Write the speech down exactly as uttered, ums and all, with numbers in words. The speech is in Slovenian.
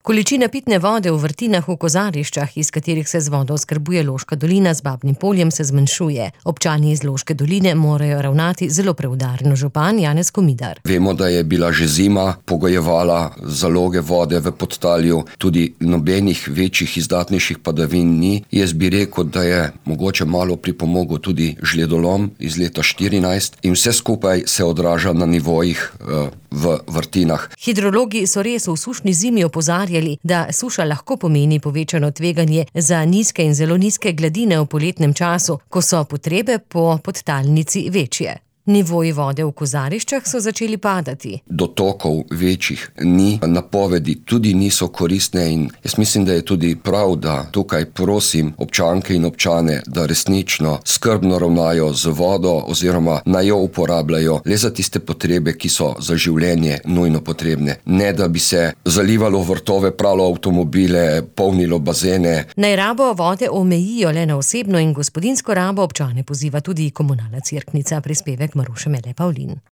Količina pitne vode v vrtinah v Kozariščah, iz katerih se z vodo oskrbuje Loška dolina z Babnim Poljem, se zmanjšuje. Občani iz Loške doline morajo ravnati zelo preudarno. Župan Janez Komidar. Vemo, da je bila že zima, pogojevala zaloge vode v Podtalju, tudi nobenih večjih izdatnejših padavin ni. Jaz bi rekel, da je mogoče malo pripomogel tudi žledolom iz leta štirinajst in vse skupaj se odraža na nivojih uh, v vrtinah. Hidrologi so res v sušni zimi opozarjali, da suša lahko pomeni povečano tveganje za nizke in zelo nizke gladine v poletnem času, ko so potrebe po podtalnici večje. Nivoji vode v Kozariščah so začeli padati. Dotokov večjih ni, napovedi tudi niso koristne in jaz mislim, da je tudi prav, da tukaj prosim občanke in občane, da resnično skrbno ravnajo z vodo oziroma naj jo uporabljajo le za tiste potrebe, ki so za življenje nujno potrebne. Ne, da bi se zalivalo vrtove, pralo avtomobile, polnilo bazene. Naj rabo vode omejijo le na osebno in gospodinjsko rabo, občane poziva tudi Komunalna Cerknica. Prispevek Maruše Mele Pavlin.